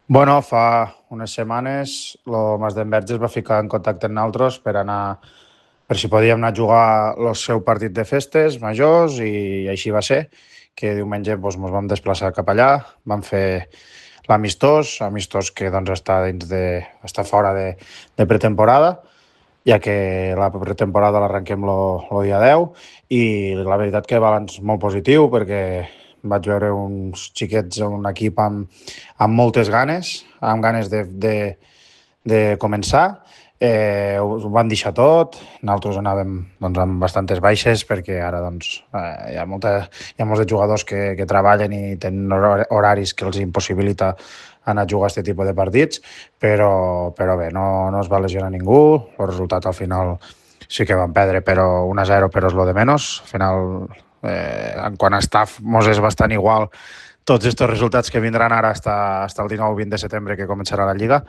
Bueno, fa unes setmanes el Mas d'Enverge es va ficar en contacte amb nosaltres per si podíem anar a jugar el seu partit de festes majors i així va ser, que diumenge ens vam desplaçar cap allà, vam fer amistós que doncs, està fora de pretemporada, ja que la pretemporada l'arrenquem el dia 10 i la veritat que balanç molt positiu perquè vaig veure uns xiquets, un equip amb moltes ganes, amb ganes de començar. Ho van deixar tot, nosaltres anàvem doncs, amb bastantes baixes perquè ara hi ha molts de jugadors que treballen i tenen horaris que els impossibilita anar a jugar a aquest tipus de partits, però bé, no es va lesionar ningú, el resultat al final sí que van perdre, però 1-0, però és lo de menys. Al final, en quant a staff, mos és bastant igual tots aquests resultats que vindran ara hasta el 19 o 20 de setembre que començarà la Lliga.